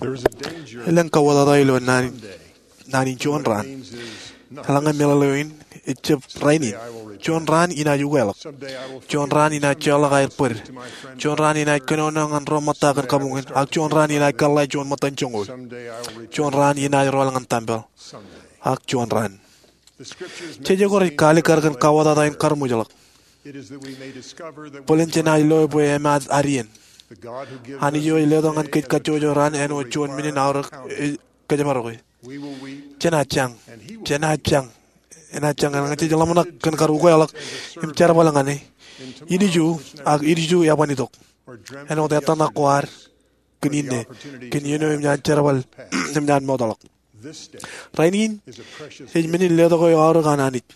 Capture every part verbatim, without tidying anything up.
Elōñ kauwōtata ilo naan in juon raan. Eḷaññe meḷeḷe eo in, ejjab rainin. Juon raan inaaj ukeḷọk. Juon raan inaaj joḷọk aer bōd. Juon raan inaaj kōnono ñan ro ṃōtta kōn kabuñ in, ak juon raan inaaj kōḷḷā juon ṃōttan joñoul. Juon raan inaaj rọọl ñan tempel. Ak juon raan. Jeje ko rej kaalikkar kōn kauwōtata in karuṃwijḷọk. Bōlen jenaaj loe bwe emaat ad iien. Anij eo ej letok ñan kōj kajjojo raan āinwōt juon men in aorōk ej kōjparok e. Jenaaj jañ. Jenaaj jañ. Enaaj jañ eḷaññe jej ḷōmṇak kōn kar ukeḷọk im jerbal ñan e. Ilju, ak ilju eban itok. Āinwōt ettōṇak ko ad kōn inne, kōn iien eo enaaj jerbal, enaaj mootḷọk. Rainin ej men in letok eo aorōk an Anij.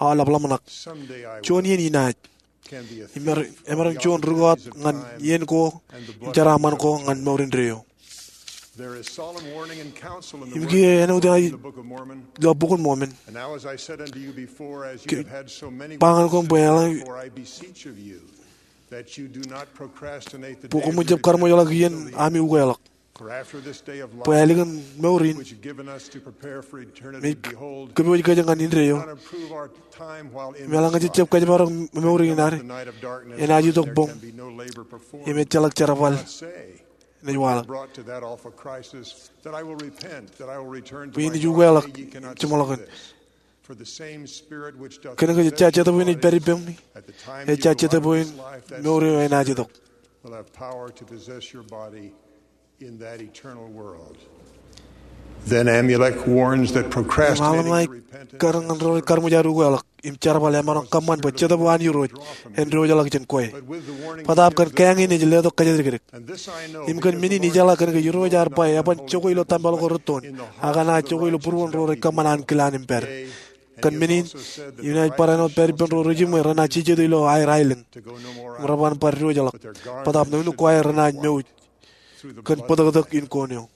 Aolep ḷōmṇak. Juon iien inaaj. Im emaroñ juon rūkọọt ñan iien ko im jeraaṃṃan ko ñan mour indeeo. Im kiiō āinwōt ilo Bok in Mormon. Ba ñan koṃ bwe eḷaññe bwe koṃwin jab karuṃwijḷọk iien ami ukeḷọk. Bwe ālikin mour in, me ej kōpooj kōj ñan indeeo. Im eḷaññe jej jab kōjparok mour in ad, enaaj itok boñ. Im ejjeḷọk jerbal. Enaaj waḷọk. Bwe enaaj ukeḷọk. Jeṃḷọkin. Kōn ke ejja Jetōb eo ej pād ippemi, ejja Jetōb eo in mour eo enaaj itok. Then Amulek warns that procrastinating repentance. Im Amulek kar ñan ro rej karuṃwij ad ukeḷọk im jerbal emaroñ kōṃṃan bwe Jetōb eo an Irooj en diwōjḷọk jān kwe. Bōtaab kōn kāāñ in ej letok kōjatdikdik. Im kōn men in ijeḷā kōn ke Irooj ear ba eban jokwe ilo tempel ko rūttoon, ak enaaj jokwe ilo būruon ro rej kōṃṃan ankilaan im pād. Kōn men in, inaaj bar āinwōt pād ippān ro ri jiṃwe renaaj jijet ilo aer aelōñ. Im reban bar diwōjḷọk. Bōtaab nuknuk ko aer renaaj mouj. Kōn bōtōktōk in koon eo.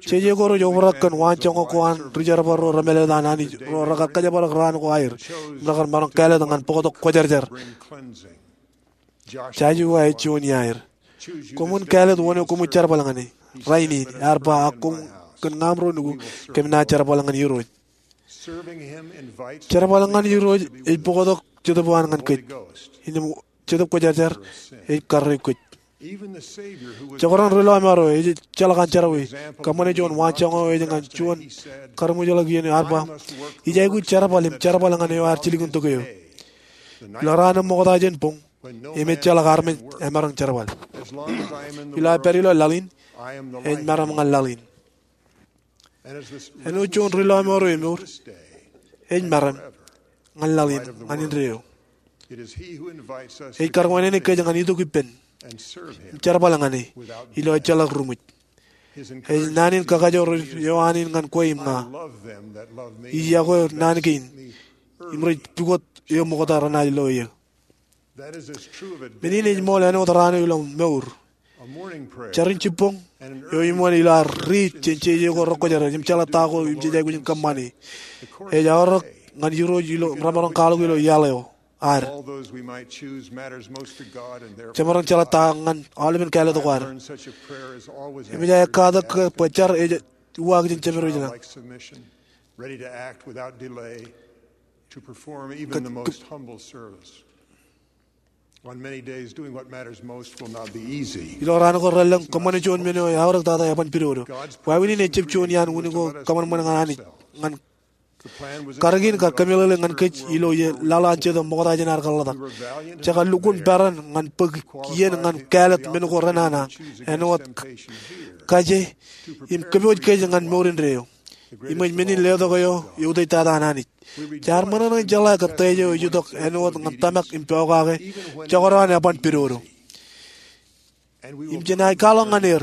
Jeje ko rej obrak kōn waanjoñak ko an ri jerbal ro remālōtlōt an Anij ro rekar kōjparok raan ko aer. Im rekar maroñ kāālōt ñan bōktok kwōjarjar. Joshua ej juon iaer. Koṃwin kāālōt wōn eo koṃwin jerbal ñan e. Rainin, ear ba ak koṃ kōn ñaam ro nukū, kōm naaj jerbal ñan Irooj. Jerbal ñan Irooj ej bōktok Jetōb eo an ñan kōj. Innām Jetōb Kwōjarjar ej karreoik kōj. Jekdọọn ri lọmọọr eo ejjeḷọk an jerọwiwi, kōṃṃane juon waanjoñak eo ej ñan juon karuṃwijḷọk iien eo ear ba, ij aikuj jerbal im jerbal ñan eo ear jilkintok eō. Ilo raan eo ṃokta jān boñ, im ejjeḷọk armej emaroñ jerbal. Ilo aō pād ilo laḷ in, ej meram ñan laḷ in. Āinwōt juon ri lọmọọr eo emour, ej meram ñan laḷ in, ñan indeeo. Ej karuwānene kōj ñan itok ippān im jerbal ñan e ilo ejjeḷọk ruṃwij. Ej naan in kakajoor eo an in ñan kwe im ña. Ij yokwe naan kein im rej pukot eō ṃokta renaaj lo eō. Men in ej ṃool āinwōt raan eo ilo mour. Jarin jibboñ eo iṃōn ilo ad riit jān jeje ko rekwōjarjar im jeḷā ta ko im jej aikuj in kōṃṃane. Ej aorōk ñan Irooj ilo remaroñ kwaḷọk ilo iaḷ eo ad. Jemaroñ jeḷā ta ñan aolepen kāālōt ko ad. Im ej aō katak ke bwe jar ej uwaak jān Jemedwōj ṇe. Ilo raan ko relōñ kōṃṃane juon men eo eaorōk tata eban pidodo. Wāween in ejjab juon iaan unin ko kōṃanṃan ñan Anij ñan karōk in kar kōmeḷeḷe ñan kōj ilo ie laḷ an Jetōb ṃokta jān ad kōḷḷā tok. Jekar lukkuun peran ñan bōk iien ñan kāālōt men ko renana āinwōt kaje im kōpooj kōj ñan mour indeeo. Im ej men in letok eo eutiej tata an Anij. Jaar ṃōṇōṇō in jeḷā kōn tōj eo ej itok āinwōt ñan tōmak im pokake jekdọọn eban pidodo. Im jenaaj kwaḷọk ñan er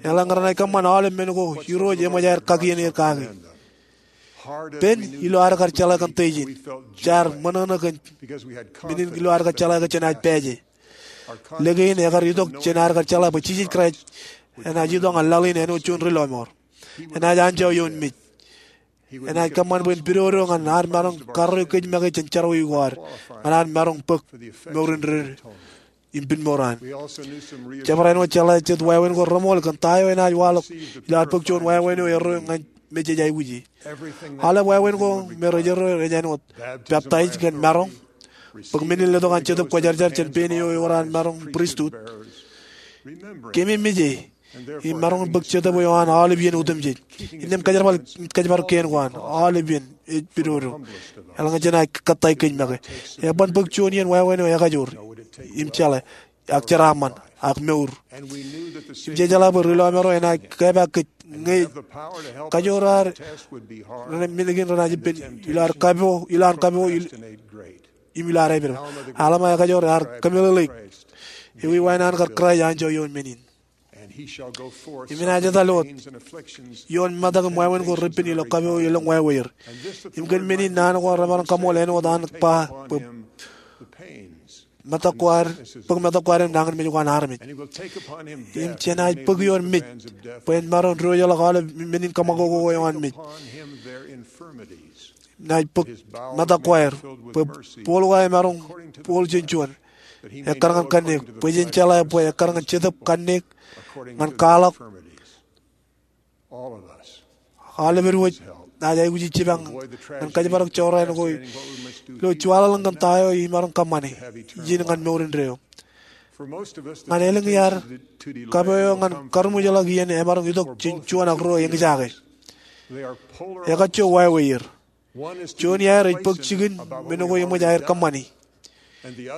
eḷaññe renaaj kōṃṃan aolep men ko Irooj eṃōj aer kakien er kaki. Pen ilo ad kar jeḷā kōn tōj in, jaar ṃōṇōṇō kōn men in ilo ad kar jeḷā ke jenaaj pāāje. Lōke in ekar itok jān ad kar jeḷā bwe Jisōs Kraist enaaj itok ñan laḷ in āinwōt juon ri lọmọọr. Enaaj anjọ ioon mej. Enaaj kōṃṃan bwe en pidodo ñan ad maroñ karreoik kōj make jān jerọwiwi ko ad, ñan ad maroñ bōk mour indeeo. im pinmour an. Jabdewōt āinwōt jeḷā jet wāween ko remool kōn ta eo enaaj waḷọk ilo ad bōk juon wāween eo erro ñan mejej aikuji. Aolep wāween ko me rej erro ej āinwōt peptaij kōn maroñ, bōk men in letok an Jetōb Kwōjarjar jān pein eo ewōr an maroñ pristut, keememej e, im maroñ in bōk jetōb eo an aolep iien otemjej. Innām kōjparok, kōjparok kein ko an aolep iien ej pidodo. Eḷaññe jenaaj kōttāik kōj make, eban bōk juon iien wāween eo ekajoor im jeḷā, ak jeraaṃṃan, ak mour. Im jejeḷā bwe ri lọmọọr eo enaaj kōpeḷḷọk kōj ñe kajoor ad, men kein renaaj ippān ilo ad kapo, ilo ad kapo, im ilo ad āpedped. Alma ekajoor ear kōmeḷeḷeik, ewi wāween an kar Kraist anjọ ioon men in. Im enaaj etal wōt ioon metak im wāween ko repen ilo kapo elōñ wāweer. Im kōn men in naan ko an remaroñ kaṃool āinwōt an ba bwe metak ko ad, bōk metak ko ad im nañinmej ko an armej. Im jenaaj bōk ioon mej bwe en maroñ diwōjḷọk aolep men in kōṃakoko eo an mej. Naaj bōk metak ko aer bwe booḷ ko aer emaroñ booḷ jān juon. Ekkar ñan kanniōk bwe jen jeḷā bwe ekkar ñan Jetōb kanniōk ñan kwaḷọk. Aolepād wōj naaj aikuji jipañ ñan kōjparok jorrāān ko ilo juwaḷaḷ in kōn ta eo imaroñ kōṃṃane ijin ñan mour indeeo. Ñan elōñ iaad, kapo eo ñan karuṃwijḷọk iien emaroñ itok jān juon ak ruo eñjake. Ekajjo wāweer. Juon iaer ej bōk jikin men ko eṃōj aer kōṃṃani.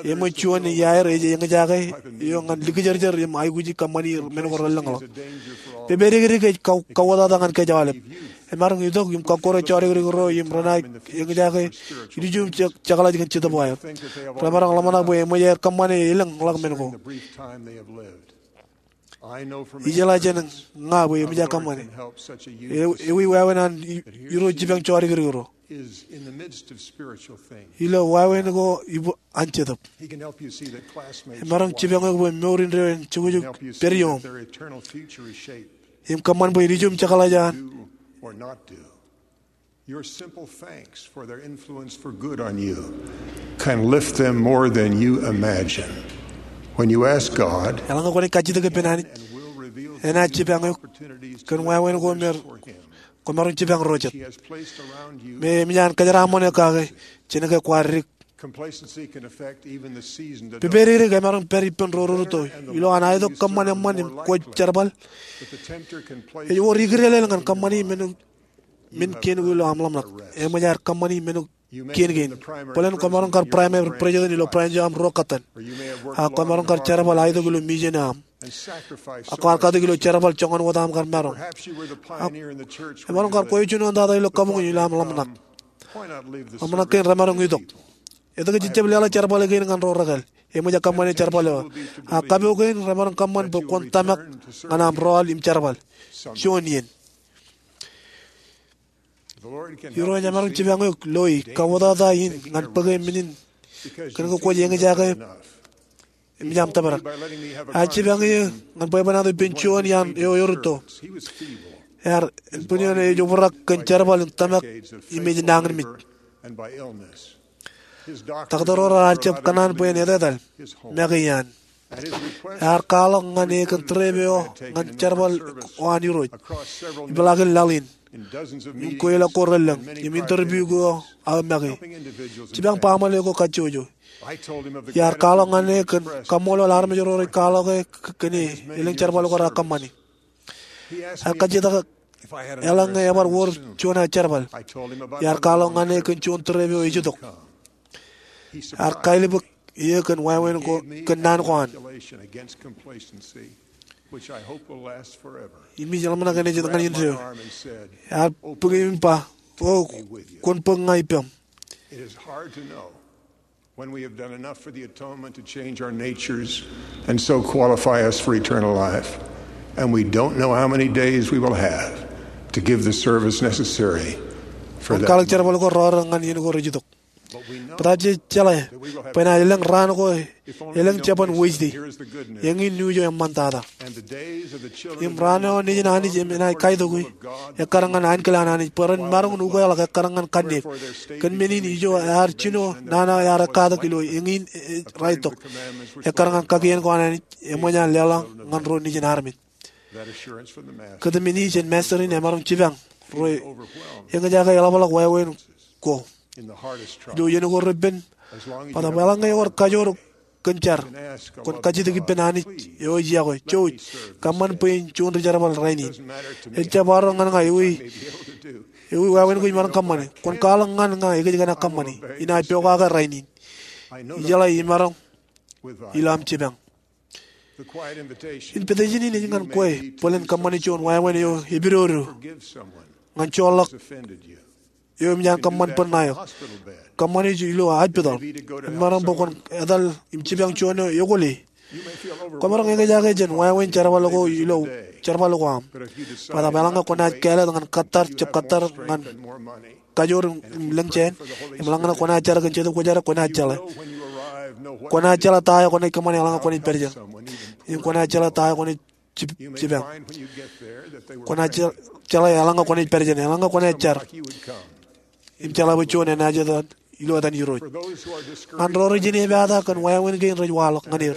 Eṃōj juon iaer ej eñjake eo ñan likjōrjōr im aikuji kōṃṃani men ko relōñḷọk. Pepedikdik ej ka-, kauwōtata ñan kōj aolep. Emaroñ itok im kọkkure jodikdik ro im renaaj eñjake ilju im je-, jekḷaj kōn Jetōb eo aer. Remaroñ ḷōmṇak bwe eṃōj aer kōṃṃane elōñḷọk men ko. Ijeḷā jān ña bwe eṃōj aō kōṃṃane. E-, ewi wāween an i-, irooj jipañ jodikdik ro ilo wāween ko ibo an Jetōb. Emaroñ jipañ eok bwe mour indeeo en jukjuk pād iooṃ im kōṃṃan bwe ilju im jekḷaj an. Your simple thanks for their influence for good on you can lift them more than you imagine. When you ask God, eḷaññe kwōnaaj kajjitōk ippān Anij, enaaj jipañ eok kōn wāween ko me kwōmaroñ jipañ ro jet. Me eṃōj an kōjeraaṃṃan eok kake jān ke kwaar dik. Pepedikdik emaroñ pād ippān ro rūtto. Ilo an aetok kōṃṃan eṃṃan im kwōj jerbal, ej wōr ikdeḷeḷ ñan kōṃṃani men men kein ko ilo aṃ ḷōmṇak. Eṃōj aer kōṃṃani men ko kein kein. Bōlen kwōmaroñ kar primary president ilo branch eo aṃ ruo kōttan. Ak kwōmaroñ kar jerbal aetok ilo mission eo aṃ. Ak kwaar katak ilo jerbal joñan wōt aṃ kar maroñ. Ak emaroñ kar kwōj juon eo tata ilo kabuñ in ilo aṃ ḷōmṇak. Ḷōmṇak kein remaroñ itok. Etke jej jab leḷọk jerbal kein ñan ro rekāāl? Eṃōj aō kōṃṃane jerbal eo. Ak kapo kein remaroñ kōṃṃan bwe kwōn tōmak ñan aṃ rọọl im jerbal juon iien. Irooj emaroñ jipañ eok loi kauwōtata in ñan bōke men in kōn ke kwōj eñjake im ej aṃ tōprak. Ear jipañ eō ñan bwebwenato ippān juon iaan eo erūtto. Ear, en bwin eoon ej obrak kōn jerbal in tōmak im ej nañinmej. Taktō ro raar jab kōṇaan bwe en etetal make iaan. Ear kwaḷọk ñan e kōn trip eo ñan jerbal eo an Irooj. Ipeḷaakin laḷ in im kweilọk ko relōñ im interview ko aō make. Jipañ baaṃle ko kajjojo. Iar kwaḷọk ñan e kōn kaṃṃoolol armej ro rej kwaḷọk e k-, kōn e elōñ jerbal ko raar kōṃṃane. Ear kajjitōk eḷaññe ebar wōr juon aō jerbal. Iar kwaḷọk ñan e kōn juon trip eo ej itok. Ear kailbōk eō kōn wāween ko, kōn naan ko an. Im ij ḷōmṇak eṇ ej ñan indeeo. Ear bōk eō im ba, O, kwōn bōk ña ippaṃ. When we have done enough for the atonement to change our natures and so qualify us for eternal life, and we don't know how many days we will have to give the service necessary for that. Kwōn kwaḷọk jerbal ko rọọr ñan iien ko rej itok. Bōtab jej jeḷā bwe enaaj elōñ raan ko, elōñ jabōn Wejde. Eñin nuuj eo eṃṃantata. Im raan eo nejin Anij enaaj kaitokwe, ekkar ñan ankilaan Anij, bwe ren maroñ in ukeḷọk ekkar ñan kanniōk. Kōn men in ijo ear jino nana eo ear katak ilo eñin ej raetok, ekkar ñan kakien ko an Anij eṃōj an leḷọk ñan ro nejin armej. Kōtmān in jān Masta in emaroñ jipañ ro eñjake eḷapḷọk wāween ko. Ilo iien ko repen, bōtab eḷaññe ewōr kajoor kōn jar, kwōn kajjitōk ippān Anij eo ej yokwe, jouj, kōṃṃan bwe in juon ri jerbal rainin. Ejjab arro ñan ña ewi, ewi wāween ko imaroñ kōṃṃane. Kwōn kwaḷọk ñan ña ekōjkan aō kōṃṃane. Inaaj pokake rainin. Ijeḷā imaroñ ilo aṃ jipañ. Invitation in ej ñan kwe bōlen kōṃṃane juon wāween eo epidodo ñan joorḷọk eo eṃōj an kōṃṃan bōd ṇae eok. Kōṃṃane ilo hospital. Emaroñ bwe kwōn etal im jipañ juon eo ekwōle. Kwōmaroñ eñjake jān wāween jerbal ko ilo jerbal ko aṃ. Bōtab eḷaññe kwōnaaj kāālōt ñan kōttar, jab kōttar ñan kajoor im lōñ jāān, im eḷaññe kwōnaaj jar kōn Jetōb Kwōjarjar, kwōnaaj jeḷā. Kwōnaaj jeḷā ta eo kwōnaaj kōṃṃane eḷaññe kwōnaaj pād jān. Im kwōnaaj jeḷā ta eo kwōnaaj jip-, jipañ. Kwōnaaj je-, jeḷā eḷaññe kwōnaaj pād jān, eḷaññe kwōnaaj jar. Im jeḷā bwe juon enaaj etal ilo etan Irooj. Ñan ro rej inepata kōn wāween kein rej waḷọk ñan er,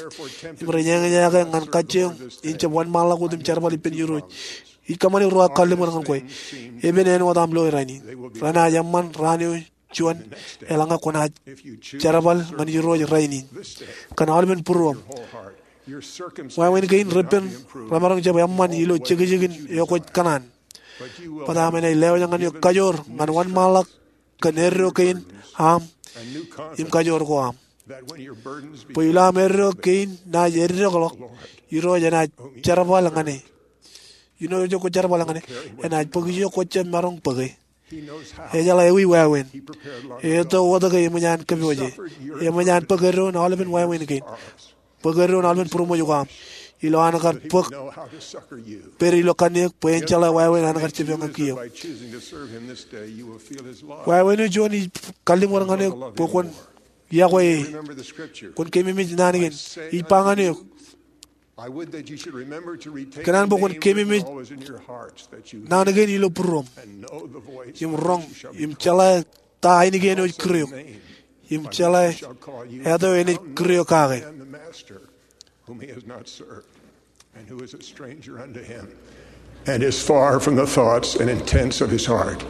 im rej eñjake ñan kajjioñ in jab wōnṃaanḷọk wōt im jerbal ippān Irooj, ij kōṃṃane ruo kalliṃur ñan kwe. Epen āinwōt aṃ loe rainin. Renaaj eṃṃan raan eo juon, eḷaññe kwōnaaj jerbal ñan Irooj rainin kōn aolepen būruōṃ. Wāween kein repen remaroñ jab eṃṃan ilo jekjekin eo kwōj kōṇaan. Bōtab enaaj lewōj ñan eok kajoor ñan wōnṃaanḷọk kōn eddo kein aṃ im kajoor ko aṃ. Bwe ilo aṃ eddo kein naaj eddekḷọk, Irooj enaaj jerbal ñan e. Ilo ijo kwōj jerbal ñan e, enaaj bōk ijo kwōj jab maroñ bōke. Ejeḷā ewi wāween. Eto wōt ke eṃōj an kōpooje. Eṃōj an bōk eddoin aolepen wāween kein. Bōk eddoin aolepen būroṃōj ko aṃ. Ilo an kar bōk pād ilo kanniōk bwe en jeḷā wāween an kar jipañ ñan kiiō. Wāween eo juon ij kalliṃur ñan eok bwe kwōn yokwe e. Kwōn keememej naan kein. Ij ba ñan eok, ikōṇaan bwe kwōn keememej naan kein ilo būruōṃ. Im roñ, im jeḷā ta ainikien eo ej kūr eok. Im jeḷā eto eo enaaj kūr eok kake. And is far from the thoughts and intents of his heart.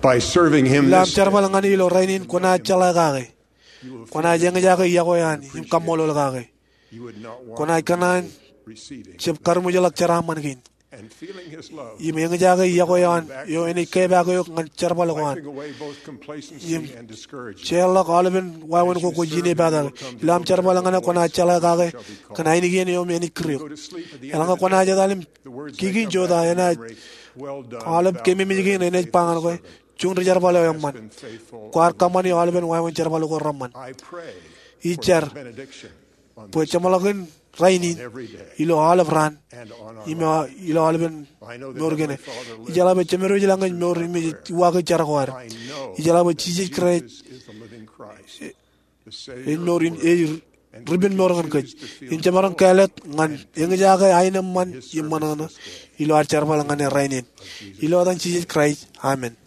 By serving him this day, ilo aṃ jerbal ñan e ilo rainin kwōnaaj jeḷā kake. Kwōnaaj eñjake yokwe eo an im kaṃṃoolol kake. Kwōnaaj kōṇaan jab karuṃwijḷọk jeraaṃṃan kein. Im eñjake yokwe eo an eo enaaj kepaak eok ñan jerbal ko an. Im jeorḷọk aolepen wāween ko kwōj inepata ke. Ilo aṃ jerbal ñan e kwōnaaj jeḷā kake kōn ainikien eo enaaj kūr eok. Eḷaññe kwōnaaj etal im kiki in jota, enaaj, aolep keememej kein enaaj ba ñan kwe, juon ri jerbal eo eṃṃan. Kwaar kōṃṃane aolepen wāween jerbal ko reṃṃan. Ij jar bwe jeṃḷọkin rainin, ilo aolep raan, im ilo aolepen mour kein. Ijeḷā bwe Jemedwōj ilañ ej mour im ej uwaake jar ko ad. Ijeḷā bwe Jisōs Kraist ej mour im ej ripenmour ñan kōj. Im jemaroñ kāālōt ñan eñjake aenōṃṃan im ṃōṇōṇō ilo ad jerbal ñan e rainin. Ilo etan Jisōs Kraist, amen.